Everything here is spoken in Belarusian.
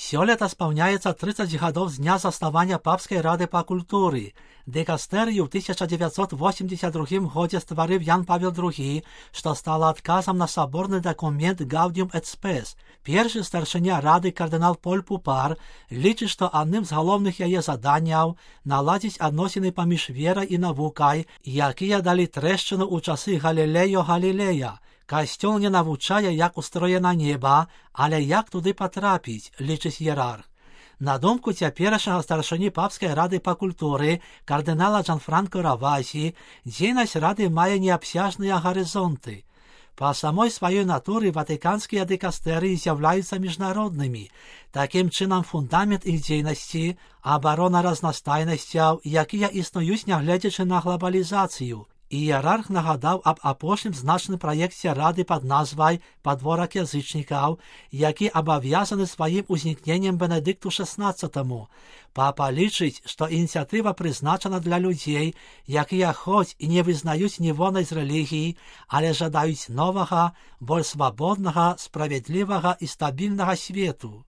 Сёлета спаўняецца 30 гадоў з дня заснавання Папскай рады па культуры. Дыкастэрыю ў 1982 годзе стварыў Ян Павел II, што стала адказам на саборны дакумент Gaudium et Spes. Першы старшыня рады кардынал Поль Пупар лічыць, што адным з галоўных яе заданняў наладзіць адносіны паміж верай і навукай, якія далі трэшчыну ў часы Галілео Галілея. Касцёл не навучае, як устроена неба, але як туды патрапіць, лічыць іерарх. На думку цяперашняга старшыні Папскай рады па культуры кардынала Джанфранко Равасі, дзейнасць рады мае неабсяжныя гарызонты. Па самой сваёй натуры ватыканскія дыкастэрыі з'яўляюцца міжнароднымі. Такім чынам фундамент іх дзейнасці – абарона разнастайнасцяў, якія існуюць нягледзячы на глабалізацыю. Іерарх нагадаў аб апошнім значным праекце рады пад назвай «Падворак язычнікаў», які абавязаны сваім узнікненнем Бенедыкту XVI. Папа лічыць, што ініцыятыва прызначана для людзей, якія хоць і не вызнаюць нівонай з рэлігій, але жадаюць новага, больш свабоднага, справядлівага і стабільнага свету.